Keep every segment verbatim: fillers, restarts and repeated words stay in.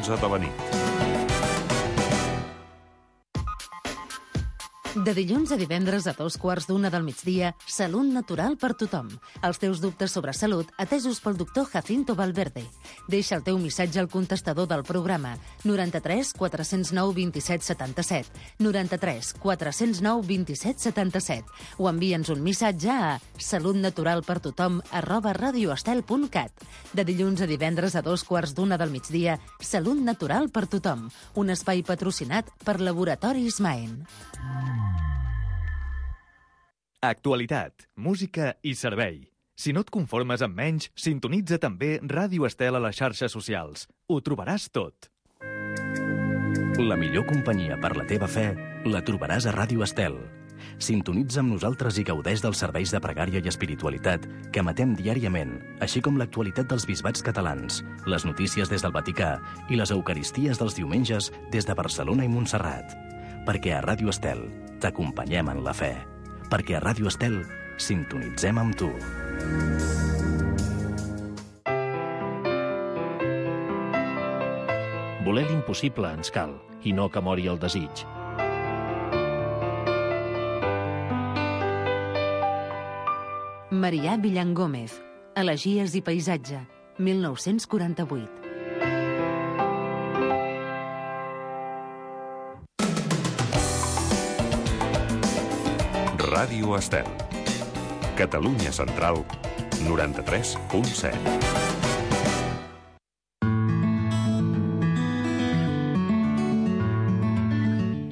onze de la nit. De dilluns a divendres a dos quarts d'una del migdia, Salut Natural per tothom. Els teus dubtes sobre salut atesos pel doctor Jacinto Valverde. Deixa el teu missatge al contestador del programa noranta-tres quatre cents nou vint-i-set setanta-set, noranta-tres quatre cents nou vint-i-set setanta-set, o envia'ns un missatge a salutnaturalpertothom arroba radioestel punt cat. De dilluns a divendres a dos quarts d'una del migdia, Salut Natural per tothom. Un espai patrocinat per Laboratoris Maen. Actualitat, música i servei. Si no et conformes amb menys, sintonitza també Ràdio Estel a les xarxes socials. Ho trobaràs tot. La millor companyia per la teva fe la trobaràs a Ràdio Estel. Sintonitza amb nosaltres i gaudeix dels serveis de pregària i espiritualitat que emetem diàriament, així com l'actualitat dels bisbats catalans, les notícies des del Vaticà i les eucaristies dels diumenges des de Barcelona i Montserrat. Perquè a Ràdio Estel t'acompanyem en la fe. Perquè a Ràdio Estel sintonitzem amb tu. Voler l'impossible ens cal, i no que mori el desig. Marià Villangómez, Elegies i paisatge, mil nou-cents quaranta-vuit. Ràdio Estel. Catalunya Central, noranta-tres punt set.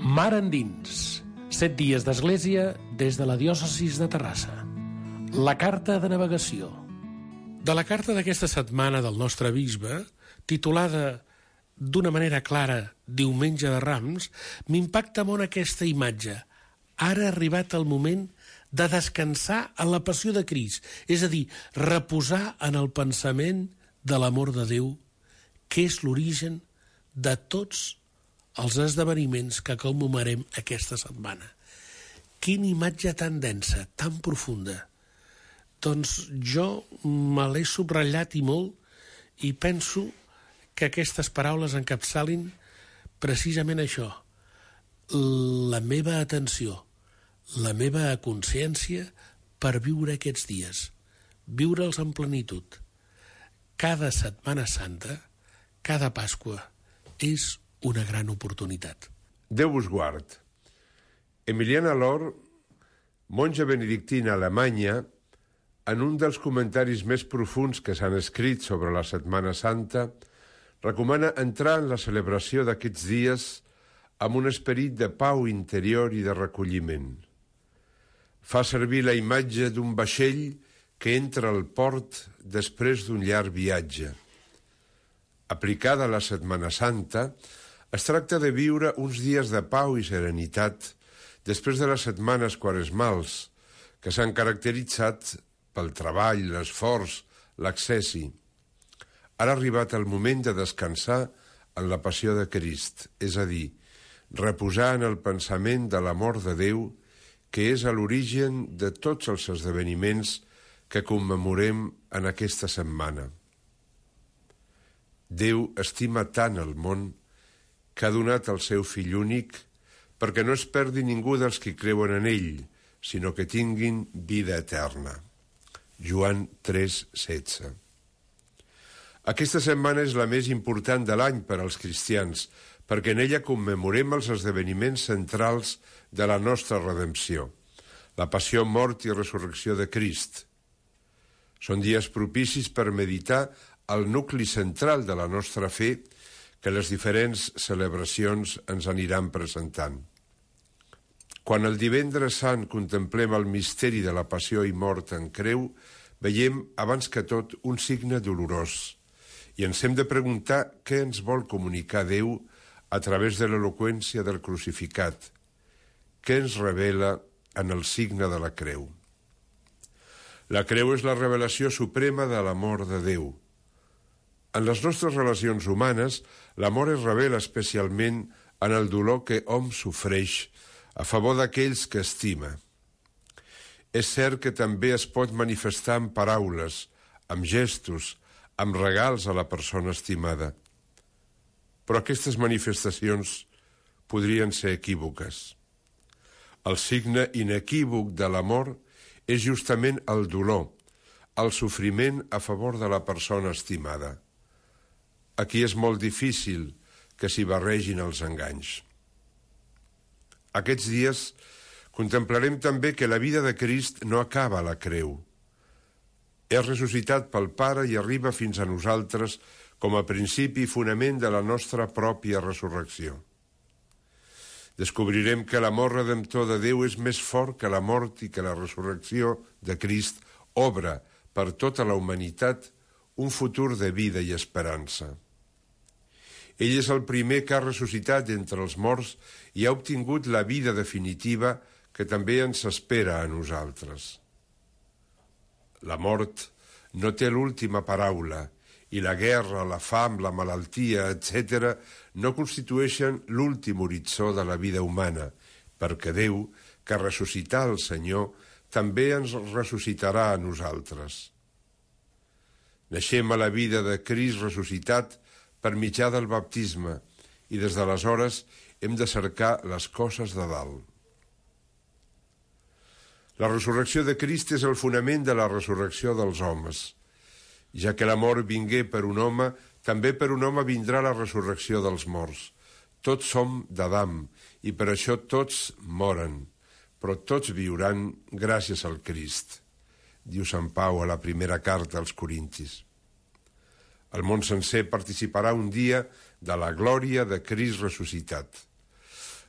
Mar endins. Set dies d'església des de la diòcesis de Terrassa. La carta de navegació. De la carta d'aquesta setmana del nostre bisbe, titulada d'una manera clara Diumenge de Rams, m'impacta molt aquesta imatge. Ara ha arribat el moment de descansar en la passió de Crist, és a dir, reposar en el pensament de l'amor de Déu, que és l'origen de tots els esdeveniments que commemorem aquesta setmana. Quina imatge tan densa, tan profunda. Doncs jo me l'he subratllat i molt i penso que aquestes paraules encapçalin precisament això, la meva atenció, la meva consciència per viure aquests dies, viure'ls en plenitud. Cada Setmana Santa, cada Pasqua, és una gran oportunitat. Déu us guard. Emiliana Lor, monja benedictina alemanya, en un dels comentaris més profunds que s'han escrit sobre la Setmana Santa, recomana entrar en la celebració d'aquests dies amb un esperit de pau interior i de recolliment. Fa servir la imatge d'un vaixell que entra al port després d'un llarg viatge. Aplicada a la Setmana Santa, es tracta de viure uns dies de pau i serenitat després de les setmanes quaresmals, que s'han caracteritzat pel treball, l'esforç, l'accessi. Ara ha arribat el moment de descansar en la passió de Crist, és a dir, reposar en el pensament de l'amor de Déu, que és a l'origen de tots els esdeveniments que commemorem en aquesta setmana. Déu estima tant el món que ha donat el seu fill únic perquè no es perdi ningú dels que creuen en ell, sinó que tinguin vida eterna. Joan tres, setze. Aquesta setmana és la més important de l'any per als cristians, perquè en ella commemorem els esdeveniments centrals de la nostra redempció, la passió, mort i resurrecció de Crist. Són dies propicis per meditar el nucli central de la nostra fe que les diferents celebracions ens aniran presentant. Quan el divendres sant contemplem el misteri de la passió i mort en creu, veiem, abans que tot, un signe dolorós, i ens hem de preguntar què ens vol comunicar Déu a través de l'eloqüència del crucificat, què ens revela en el signe de la creu. La creu és la revelació suprema de l'amor de Déu. En les nostres relacions humanes, l'amor es revela especialment en el dolor que hom sofreix a favor d'aquells que estima. És cert que també es pot manifestar amb paraules, amb gestos, amb regals a la persona estimada. però aquestes manifestacions podrien ser equívoques. El signe inequívoc de l'amor és justament el dolor, el sofriment a favor de la persona estimada. Aquí és molt difícil que s'hi barregin els enganys. Aquests dies contemplarem també que la vida de Crist no acaba a la creu. És ressuscitat pel Pare i arriba fins a nosaltres com a principi i fonament de la nostra pròpia resurrecció. Descobrirem que l'amor redemptor de Déu és més fort que la mort i que la resurrecció de Crist obre per tota la humanitat un futur de vida i esperança. Ell és el primer que ha ressuscitat entre els morts i ha obtingut la vida definitiva que també ens espera a nosaltres. La mort no té l'última paraula i la guerra, la fam, la malaltia, etcètera, no constitueixen l'últim horitzó de la vida humana, perquè Déu, que ressuscità el Senyor, també ens ressuscitarà a nosaltres. Naixem a la vida de Crist ressuscitat per mitjà del baptisme i des d'aleshores hem de cercar les coses de dalt. La resurrecció de Crist és el fonament de la resurrecció dels homes. Ja que la mort vingué per un home, també per un home vindrà la resurrecció dels morts. Tots som d'Adam i per això tots moren, però tots viuran gràcies al Crist, diu Sant Pau a la primera carta als Corintis. El món sencer participarà un dia de la glòria de Crist ressuscitat.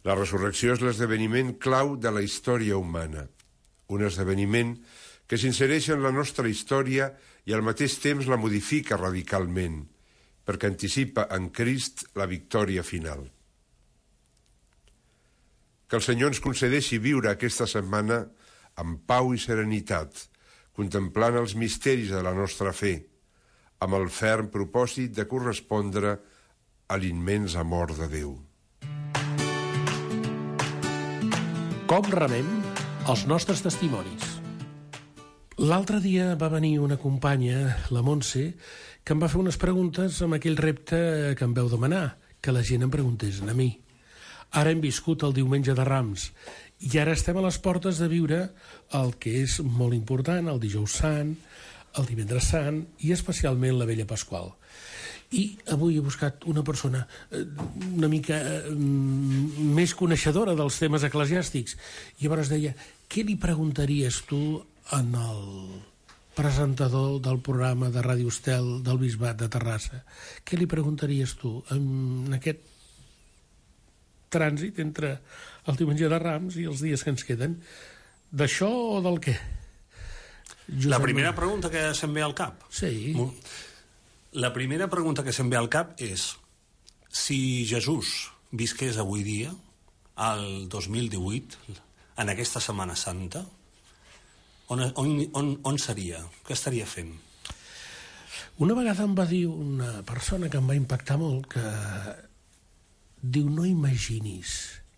La resurrecció és l'esdeveniment clau de la història humana, un esdeveniment que s'insereix en la nostra història i al mateix temps la modifica radicalment, perquè anticipa en Crist la victòria final. Que el Senyor ens concedeixi viure aquesta setmana amb pau i serenitat, contemplant els misteris de la nostra fe, amb el ferm propòsit de correspondre a l'immens amor de Déu. Com rebem els nostres testimonis? L'altre dia va venir una companya, la Montse, que em va fer unes preguntes amb aquell repte que em veu demanar, que la gent em preguntés a mi. Ara hem viscut el diumenge de Rams i ara estem a les portes de viure el que és molt important, el dijous sant, el divendres sant i especialment la Vella Pasqual. I avui he buscat una persona una mica més coneixedora dels temes eclesiàstics i llavors deia, què li preguntaries tu en el presentador del programa de Ràdio Estel del Bisbat de Terrassa? Què li preguntaries tu en aquest trànsit entre el diumenge de Rams i els dies que ens queden? D'això o del què? Josep La primera pregunta que se'm ve al cap? Sí. La primera pregunta que se'm ve al cap és si Jesús visqués avui dia, al dos mil divuit, en aquesta Setmana Santa, On, on, on, on seria? Què estaria fent? Una vegada em va dir una persona que em va impactar molt que diu, no imaginis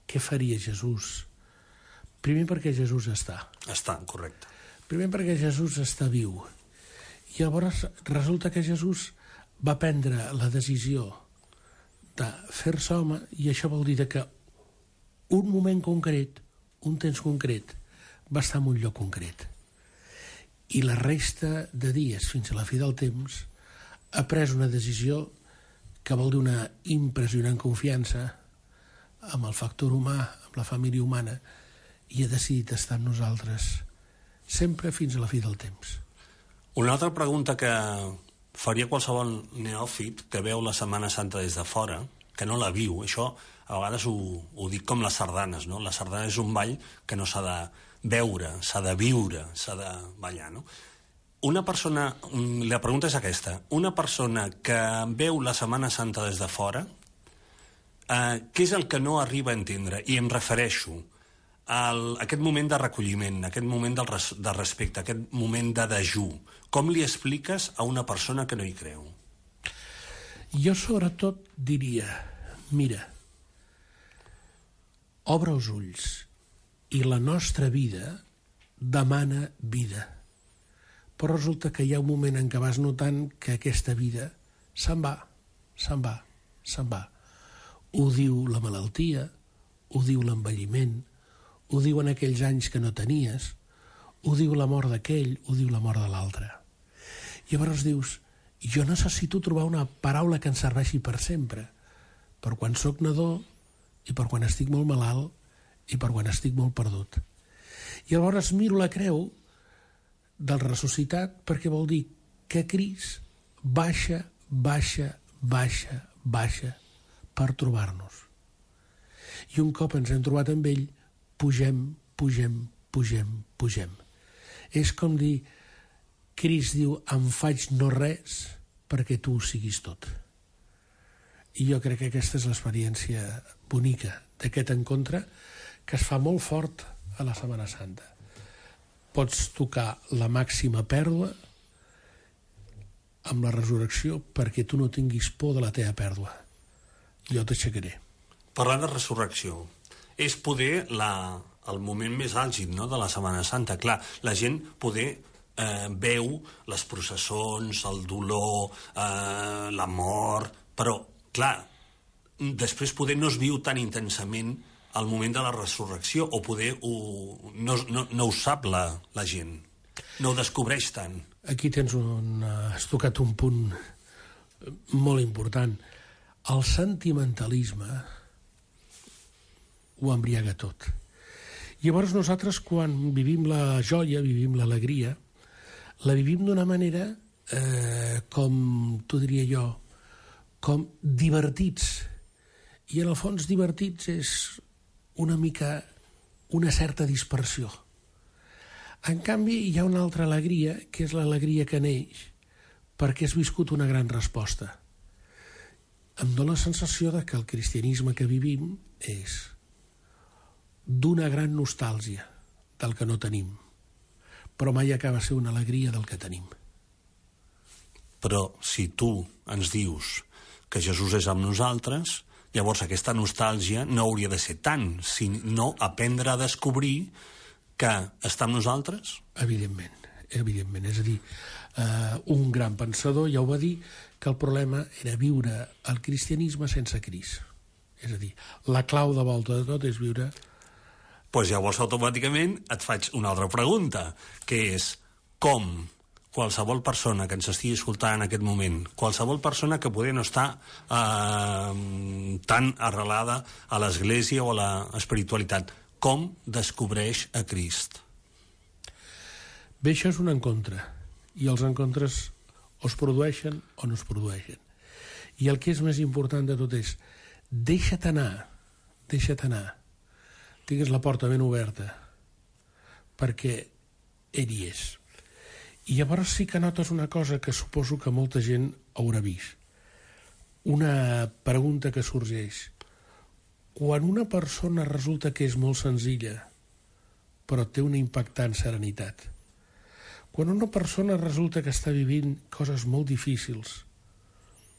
què faria Jesús. Primer perquè Jesús està. Està, correcte. Primer perquè Jesús està viu. I llavors resulta que Jesús va prendre la decisió de fer-se home i això vol dir que un moment concret, un temps concret, va estar en un lloc concret. I la resta de dies, fins a la fi del temps, ha pres una decisió que vol dir una impressionant confiança amb el factor humà, amb la família humana, i ha decidit estar amb nosaltres sempre fins a la fi del temps. Una altra pregunta que faria qualsevol neòfit que veu la Setmana Santa des de fora, que no la viu, això a vegades ho, ho dic com les sardanes, no? La sardana és un ball que no s'ha de veure, s'ha de viure, s'ha de ballar, no? Una persona, la pregunta és aquesta, una persona que veu la Setmana Santa des de fora, eh, què és el que no arriba a entendre? I em refereixo a aquest moment de recolliment, aquest moment del res, de respecte, aquest moment de dejú. Com li expliques a una persona que no hi creu? Jo sobretot diria, mira, obre els ulls i la nostra vida demana vida. Però resulta que hi ha un moment en què vas notant que aquesta vida se'n va, se'n va, se'n va. ho diu la malaltia, ho diu l'envelliment, ho diuen aquells anys que no tenies, ho diu la mort d'aquell, ho diu la mort de l'altre. Llavors dius, jo necessito trobar una paraula que em serveixi per sempre, per quan sóc nadó i per quan estic molt malalt i per quan estic molt perdut. I llavors miro la creu del ressuscitat perquè vol dir que Crist baixa, baixa, baixa, baixa per trobar-nos. I un cop ens hem trobat amb ell, pugem, pugem, pugem, pugem. És com dir, Crist diu, em faig no res perquè tu ho siguis tot. I jo crec que aquesta és l'experiència bonica d'aquest encontre que es fa molt fort a la Setmana Santa. Pots tocar la màxima pèrdua amb la resurrecció perquè tu no tinguis por de la teva pèrdua. Jo t'aixecaré. Parlant de resurrecció, és poder la, el moment més àlgid, no?, de la Setmana Santa. Clar, la gent poder eh, veu les processons, el dolor, eh, la mort, però, clar, després poder no es viu tan intensament al moment de la resurrecció, o poder ho, no, no, no ho sap la, la gent, no ho descobreix tant. Aquí tens un, has tocat un punt molt important. El sentimentalisme ho embriaga tot. Llavors nosaltres, quan vivim la joia, vivim l'alegria, la vivim d'una manera, eh, com t'ho diria jo, com divertits. I en el fons divertits és una mica una certa dispersió. En canvi, hi ha una altra alegria, que és l'alegria que neix perquè has viscut una gran resposta. Em dóna la sensació de que el cristianisme que vivim és d'una gran nostàlgia del que no tenim, però mai acaba de ser una alegria del que tenim. Però si tu ens dius que Jesús és amb nosaltres, llavors aquesta nostàlgia no hauria de ser tant, sinó aprendre a descobrir que està amb nosaltres? Evidentment, evidentment. És a dir, eh, un gran pensador ja ho va dir, que el problema era viure el cristianisme sense Crist. És a dir, la clau de volta de tot és viure... Doncs pues llavors automàticament et faig una altra pregunta, que és com qualsevol persona que ens estigui escoltant en aquest moment, qualsevol persona que poder no està eh, tan arrelada a l'Església o a l'espiritualitat, com descobreix a Crist? Bé, això és un encontre, i els encontres o es produeixen o no es produeixen. I el que és més important de tot és deixa't anar, deixa't anar, tingues la porta ben oberta, perquè ell hi és. I llavors sí que notes una cosa que suposo que molta gent haurà vist. Una pregunta que sorgeix. Quan una persona resulta que és molt senzilla, però té una impactant serenitat, quan una persona resulta que està vivint coses molt difícils,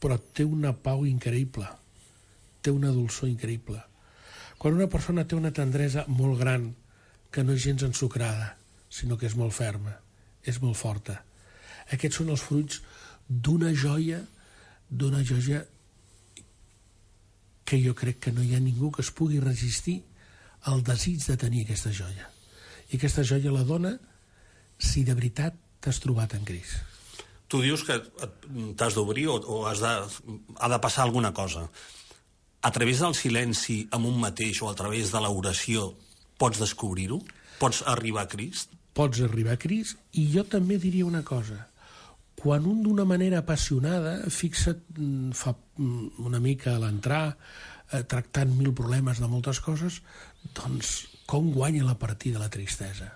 però té una pau increïble, té una dolçor increïble, quan una persona té una tendresa molt gran, que no és gens ensucrada, sinó que és molt ferma, és molt forta. Aquests són els fruits d'una joia, d'una joia que jo crec que no hi ha ningú que es pugui resistir al desig de tenir aquesta joia. I aquesta joia la dona si de veritat t'has trobat en Crist. Tu dius que t'has d'obrir o, o has de, ha de passar alguna cosa. A través del silenci amb un mateix o a través de l'oració pots descobrir-ho? Pots arribar a Crist? Pots arribar a Crist, i jo també diria una cosa. Quan un d'una manera apassionada, fixa't, fa una mica a l'entrar, eh, tractant mil problemes de moltes coses, doncs com guanya la partida la tristesa?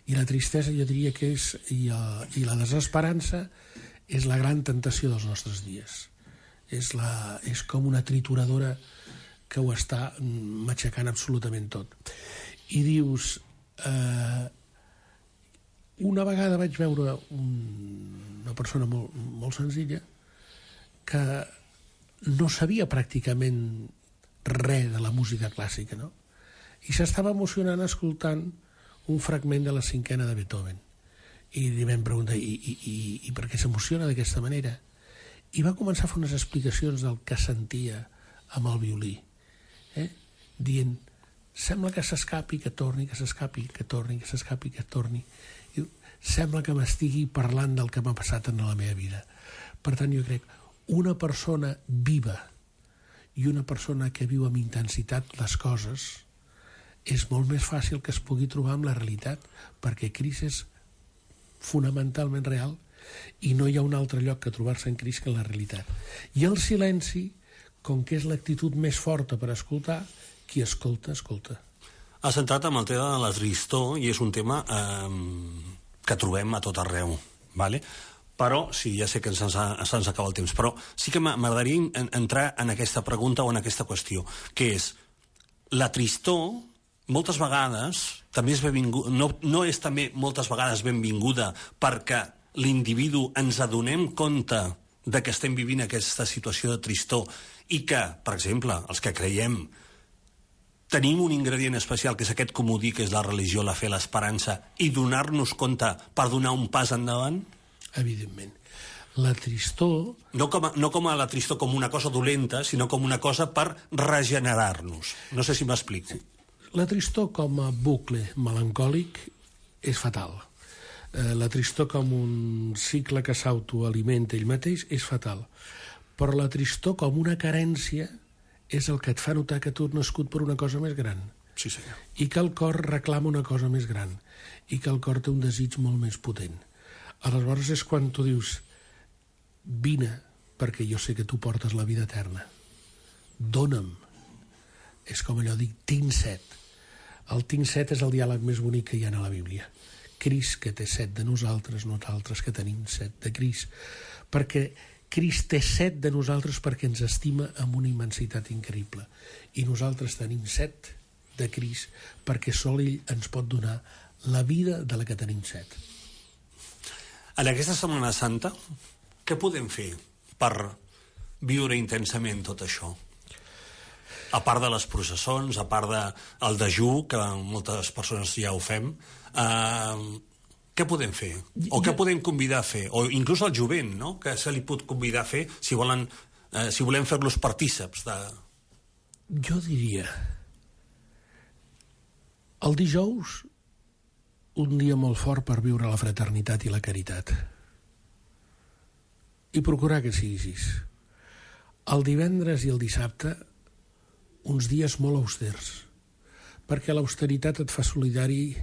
I la tristesa jo diria que és, i, uh, i la desesperança és la gran tentació dels nostres dies. És, la, és com una trituradora que ho està matxacant absolutament tot. I dius... Eh, una vegada vaig veure un, una persona molt, molt senzilla que no sabia pràcticament res de la música clàssica, no? I s'estava emocionant escoltant un fragment de la cinquena de Beethoven. I li vam preguntar, i, i, i, i per què s'emociona d'aquesta manera? I va començar a fer unes explicacions del que sentia amb el violí, eh? dient, sembla que s'escapi, que torni, que s'escapi, que torni, que s'escapi, que torni. I sembla que m'estigui parlant del que m'ha passat en la meva vida. Per tant, jo crec, una persona viva i una persona que viu amb intensitat les coses és molt més fàcil que es pugui trobar amb la realitat, perquè Crist és fonamentalment real i no hi ha un altre lloc que trobar-se en Crist que en la realitat. I el silenci, com que és l'actitud més forta per escoltar, qui escolta, escolta. Has entrat amb el tema de la tristor i és un tema eh, que trobem a tot arreu, ¿vale? Però, sí, ja sé que se'ns se'ns acaba el temps, però sí que m'agradaria entrar en aquesta pregunta o en aquesta qüestió, que és, la tristor, moltes vegades, també és benvinguda, no, no és també moltes vegades benvinguda perquè l'individu ens adonem compte de que estem vivint aquesta situació de tristor i que, per exemple, els que creiem, tenim un ingredient especial, que és aquest comodí, que és la religió, la fe, l'esperança, i donar-nos compte per donar un pas endavant? Evidentment. La tristor... No com, a, no com a la tristor com una cosa dolenta, sinó com una cosa per regenerar-nos. No sé si m'explico. La tristor com a bucle melancòlic és fatal. La tristor com un cicle que s'autoalimenta ell mateix és fatal. Però la tristor com una carència és el que et fa notar que tu has nascut per una cosa més gran. Sí, senyor. I que el cor reclama una cosa més gran. I que el cor té un desig molt més potent. Aleshores és quan tu dius, vine, perquè jo sé que tu portes la vida eterna. Dóna'm. És com allò, dic, tinc set. El tinc set és el diàleg més bonic que hi ha a la Bíblia. Crist, que té set de nosaltres, nosaltres que tenim set de Crist. Perquè Crist té set de nosaltres perquè ens estima amb una immensitat increïble. I nosaltres tenim set de Crist perquè sol ell ens pot donar la vida de la que tenim set. En aquesta Setmana Santa, què podem fer per viure intensament tot això? A part de les processons, a part del dejú, que moltes persones ja ho fem, eh, què podem fer? O què podem convidar a fer? O inclús al jovent, no?, que se li pot convidar a fer si, volen, eh, si volem fer-los partíceps de... Jo diria, el dijous, un dia molt fort per viure la fraternitat i la caritat. I procurar que sigui així. El divendres i el dissabte, uns dies molt austers, perquè l'austeritat et fa solidari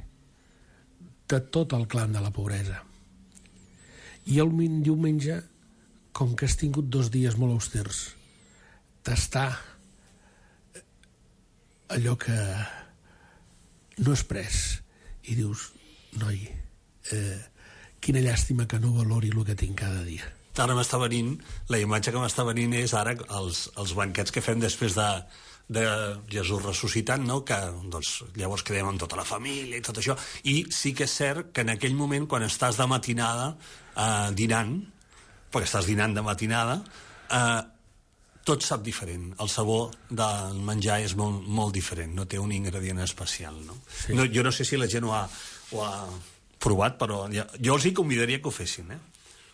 de tot el clan de la pobresa. I el diumenge, com que has tingut dos dies molt austers, tastar allò que no has pres i dius, noi, eh, quina llàstima que no valori el que tinc cada dia. Ara m'està venint, la imatge que m'està venint és ara els, els banquets que fem després de, de Jesús ressuscitant, no?, que doncs, llavors quedem amb tota la família i tot això, i sí que és cert que en aquell moment, quan estàs de matinada eh, dinant, perquè estàs dinant de matinada, eh, tot sap diferent. El sabor del menjar és molt, molt diferent, no té un ingredient especial, no? Sí. No, jo no sé si la gent ho ha, ho ha provat, però ja, jo els hi convidaria que ho fessin, eh?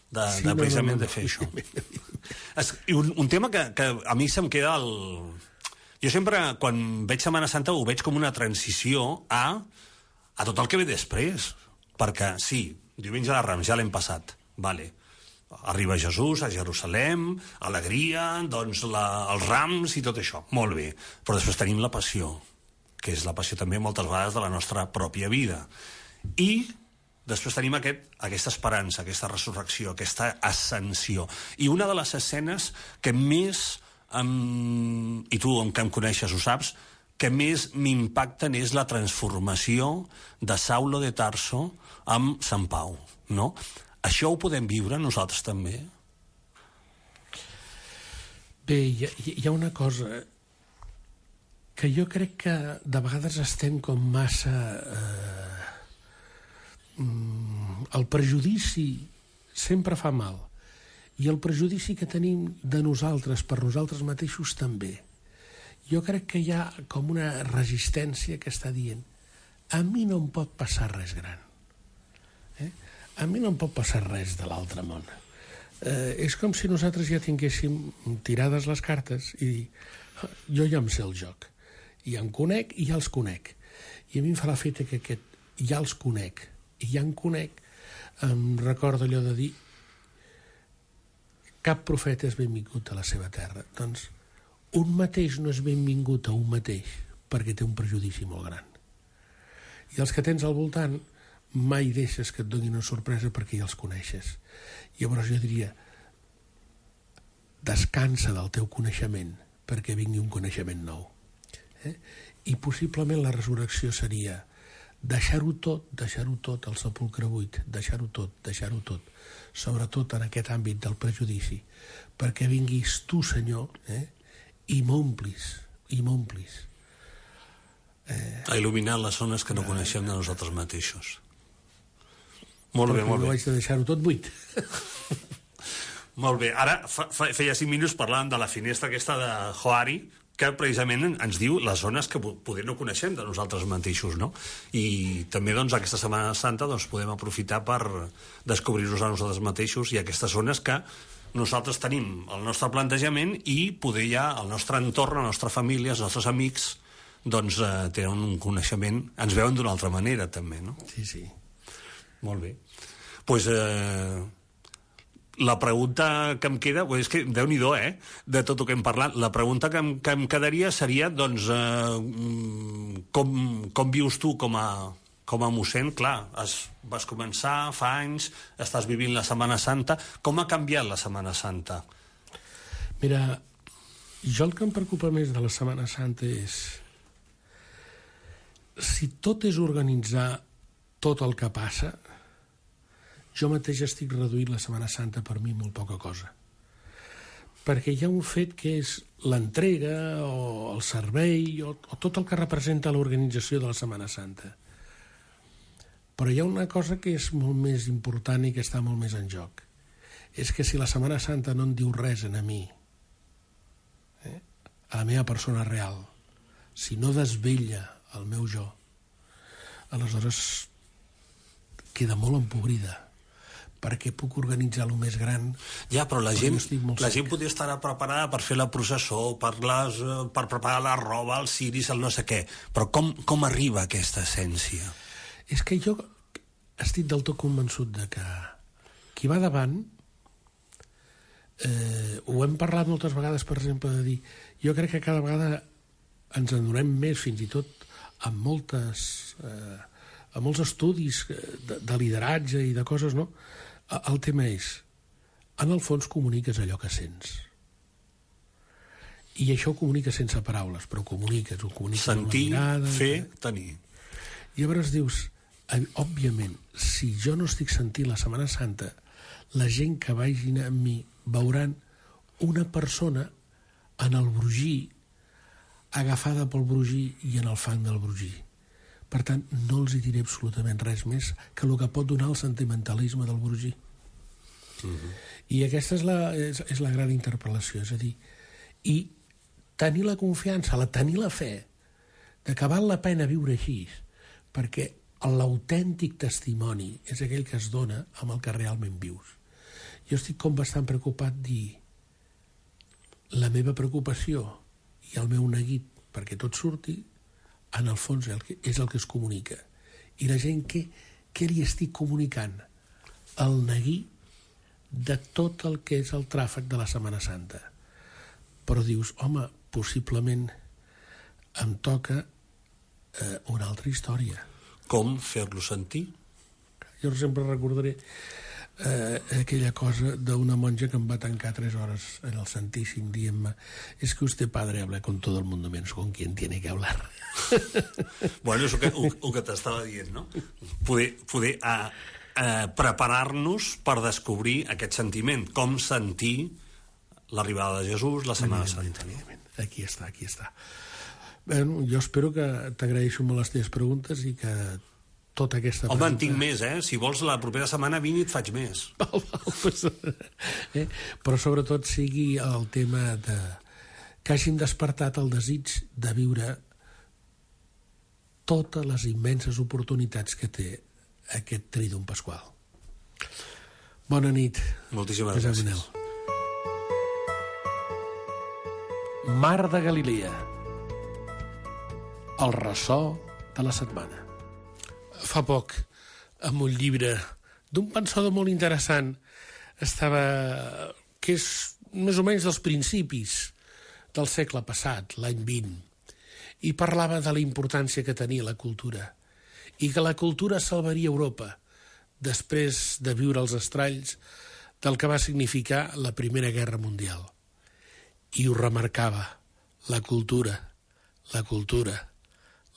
De, sí, de precisament no, no, no. de fer això. Es, un, un tema que, que a mi se'm queda el... Jo sempre, quan veig Setmana Santa, ho veig com una transició a, a tot el que ve després. Perquè, sí, diumenge de Rams ja l'hem passat, vale. Arriba Jesús a Jerusalem, alegria, doncs la, els rams i tot això, molt bé. Però després tenim la passió, que és la passió també moltes vegades de la nostra pròpia vida. I després tenim aquest, aquesta esperança, aquesta resurrecció, aquesta ascensió. I una de les escenes que més, um, i tu que em coneixes ho saps, que més m'impacten és la transformació de Saulo de Tarso amb Sant Pau, no? Això ho podem viure nosaltres també? Bé, hi ha, hi ha una cosa que jo crec que de vegades estem com massa... Eh, el prejudici sempre fa mal, i el prejudici que tenim de nosaltres per nosaltres mateixos també. Jo crec que hi ha com una resistència que està dient, a mi no em pot passar res gran, eh? A mi no em pot passar res de l'altre món. Eh, és com si nosaltres ja tinguéssim tirades les cartes i dir, Jo ja em sé el joc. Ja em conec i ja els conec. I a mi em fa l'efecte que aquest ja els conec i ja em conec em recorda allò de dir cap profeta és benvingut a la seva terra. Doncs un mateix no és benvingut a un mateix perquè té un prejudici molt gran. I els que tens al voltant mai deixes que et donin una sorpresa perquè ja els coneixes. Llavors jo diria descansa del teu coneixement perquè vingui un coneixement nou. Eh? I possiblement la resurrecció seria deixar-ho tot, deixar-ho tot al sepulcre buit, deixar-ho tot, deixar-ho tot, sobretot en aquest àmbit del prejudici, perquè vinguis tu, Senyor, eh? i m'omplis, i m'omplis. Eh... A il·luminar les zones que no eh... coneixem de nosaltres mateixos. Molt bé, molt bé. Jo vaig de deixar-ho tot buit. Molt bé. Ara, fa, fa, feia cinc minuts parlàvem de la finestra aquesta de Johari, que precisament ens diu les zones que poder no coneixem de nosaltres mateixos, no? I també, doncs, aquesta Setmana Santa doncs, podem aprofitar per descobrir-nos a nosaltres mateixos i aquestes zones que nosaltres tenim el nostre plantejament i poder ja el nostre entorn, la nostra família, els nostres amics, doncs, eh, tenen un coneixement, ens veuen d'una altra manera, també, no? Sí, sí. Molt bé. Doncs... Pues, eh... La pregunta que em queda, és que Déu-n'hi-do, eh, de tot el que hem parlat, la pregunta que em, que em quedaria seria, doncs, eh, com, com vius tu com a, com a mossèn? Clar, has, vas començar fa anys, estàs vivint la Setmana Santa, com ha canviat la Setmana Santa? Mira, jo el que em preocupa més de la Setmana Santa és si tot és organitzar tot el que passa. Jo mateix estic reduint la Setmana Santa per mi molt poca cosa. Perquè hi ha un fet que és l'entrega o el servei o, o tot el que representa l'organització de la Setmana Santa. Però hi ha una cosa que és molt més important i que està molt més en joc. És que si la Setmana Santa no en diu res a mi, eh, a la meva persona real, si no desvella el meu jo, aleshores queda molt empobrida, perquè puc organitzar el més gran. Ja, però la gent, la gent podria estar preparada per fer la processó, per, les, per preparar la roba, els ciris, el no sé què. Però com, com arriba aquesta essència? És que jo estic del tot convençut de que qui va davant, eh, ho hem parlat moltes vegades, per exemple, de dir, jo crec que cada vegada ens en donem més, fins i tot amb moltes... Eh, amb molts estudis de, de lideratge i de coses, no? El tema és, en el fons comuniques allò que sents. I això ho comuniques sense paraules, però ho comuniques, ho comuniques sentir, amb la mirada... fer, que... tenir. I llavors dius, òbviament, si jo no estic sentint la Setmana Santa, la gent que vagin amb mi veuran una persona en el brogir, agafada pel brogir i en el fang del brogir. Per tant, no els hi diré absolutament res més que el que pot donar el sentimentalisme del brogir. Uh-huh. I aquesta és la, és, és la gran interpel·lació, és a dir, i tenir la confiança, la, tenir la fe de que val la pena viure així, perquè l'autèntic testimoni és aquell que es dona amb el que realment vius. Jo estic com bastant preocupat dir la meva preocupació i el meu neguit perquè tot surti en el fons és el que es comunica. I la gent, què, què li estic comunicant? El neguí de tot el que és el tràfic de la Setmana Santa. Però dius, home, possiblement em toca eh, una altra història. Com fer-lo sentir? Jo sempre recordaré eh, aquella cosa d'una monja que em va tancar tres hores en el Santíssim dient-me és que usted, padre, habla con todo el mundo menos con quien tiene que hablar. Bueno, és el que, el, el que t'estava dient, no? Poder, poder a, a preparar-nos per descobrir aquest sentiment, com sentir l'arribada de Jesús, la Setmana Santa. Aquí està, aquí està. Bueno, jo espero que t'agraeixo molt les teves preguntes i que tota aquesta... Home, pregunta... en tinc més, eh? Si vols, la propera setmana vine i et faig més. Val, val, pues, eh? Però sobretot sigui el tema de... que hàgim despertat el desig de viure totes les immenses oportunitats que té aquest Trídum Pasqual. Bona nit. Moltíssimes gràcies. Mar de Galilea. El ressò de la setmana. Fa poc, amb un llibre d'un pensador molt interessant, estava... que és més o menys dels principis del segle passat, l'any vint, i parlava de la importància que tenia la cultura, i que la cultura salvaria Europa després de viure els estralls del que va significar la Primera Guerra Mundial. I ho remarcava, la cultura, la cultura,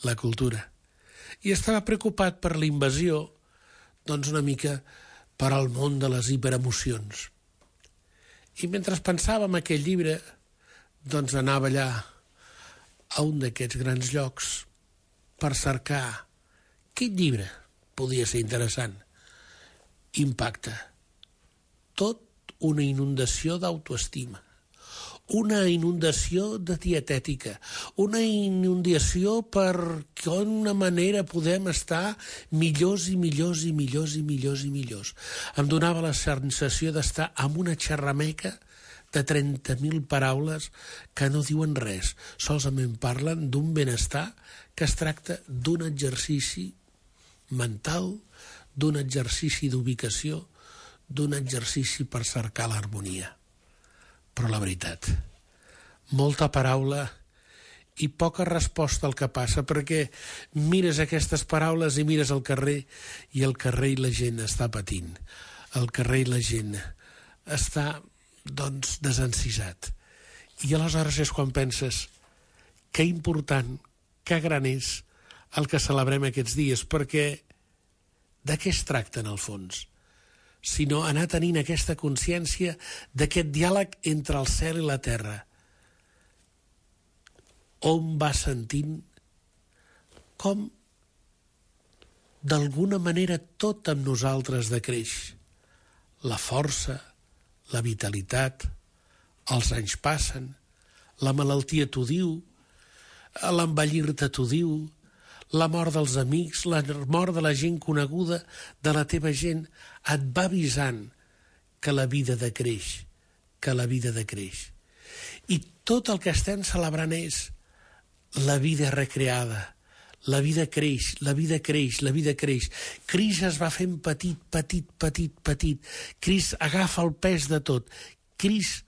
la cultura. I estava preocupat per la invasió, doncs una mica per al món de les hiperemocions. I mentre pensava en aquell llibre, doncs anava allà a un d'aquests grans llocs per cercar quin llibre podia ser interessant. Impacte. Tot una inundació d'autoestima, una inundació de dietètica, una inundació per quina manera podem estar millors i millors i millors i millors i millors. Em donava la sensació d'estar amb una xerrameca de trenta mil paraules que no diuen res, solament parlen d'un benestar que es tracta d'un exercici mental, d'un exercici d'ubicació, d'un exercici per cercar l'harmonia. Però la veritat, molta paraula i poca resposta al que passa, perquè mires aquestes paraules i mires al carrer i el carrer i la gent està patint. El carrer i la gent està, doncs, desencisat. I aleshores és quan penses que important, que gran és el que celebrem aquests dies, perquè de què es tracta en el fons? Sinó anar tenint aquesta consciència d'aquest diàleg entre el cel i la terra. On va sentint com d'alguna manera tot amb nosaltres decreix. La força, la vitalitat, els anys passen, la malaltia t'ho diu, l'envellir-te t'ho diu, la mort dels amics, la mort de la gent coneguda, de la teva gent, et va avisant que la vida decreix, que la vida decreix. I tot el que estem celebrant és la vida recreada, la vida creix, la vida creix, la vida creix. Crist es va fent petit, petit, petit, petit. Crist agafa el pes de tot. Crist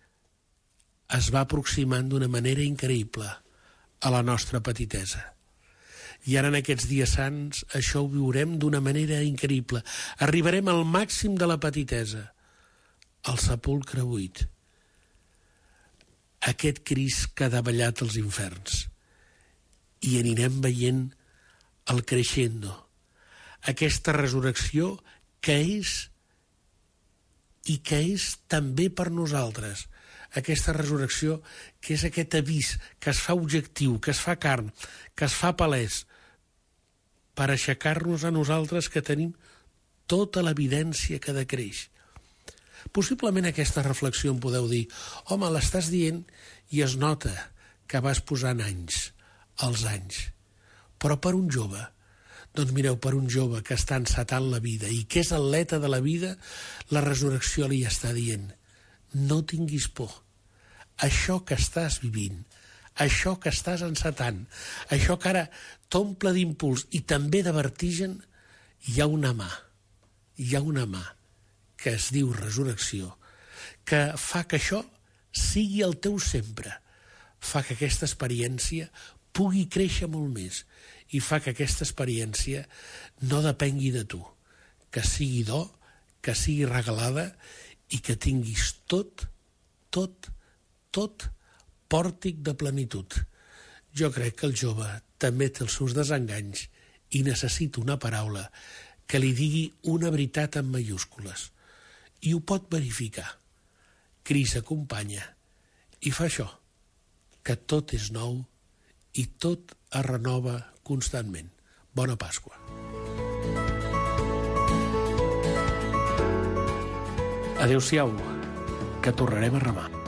es va aproximant d'una manera increïble a la nostra petitesa. I ara en aquests dies sants això ho viurem d'una manera increïble. Arribarem al màxim de la petitesa, al sepulcre buit. Aquest Crist que ha davallat els inferns. I anirem veient el creixendo. Aquesta resurrecció que és i que és també per nosaltres. Aquesta resurrecció que és aquest avís que es fa objectiu, que es fa carn, que es fa palès, per aixecar-nos a nosaltres que tenim tota l'evidència que decreix. Possiblement aquesta reflexió em podeu dir, home, l'estàs dient i es nota que vas posant anys, els anys. Però per un jove, doncs mireu, per un jove que està encetant la vida i que és atleta de la vida, la resurrecció li està dient, no tinguis por. Això que estàs vivint, això que estàs encetant, això que ara t'omple d'impuls i també de vertigen, hi ha una mà, hi ha una mà que es diu resurrecció, que fa que això sigui el teu sempre, fa que aquesta experiència pugui créixer molt més i fa que aquesta experiència no depengui de tu, que sigui do, que sigui regalada i que tinguis tot, tot, tot pòrtic de plenitud. Jo crec que el jove també té els seus desenganys i necessita una paraula que li digui una veritat en mayúscules. I ho pot verificar. Crist acompanya i fa això, que tot és nou i tot es renova constantment. Bona Pasqua. Adéu-siau, que tornarem a remar.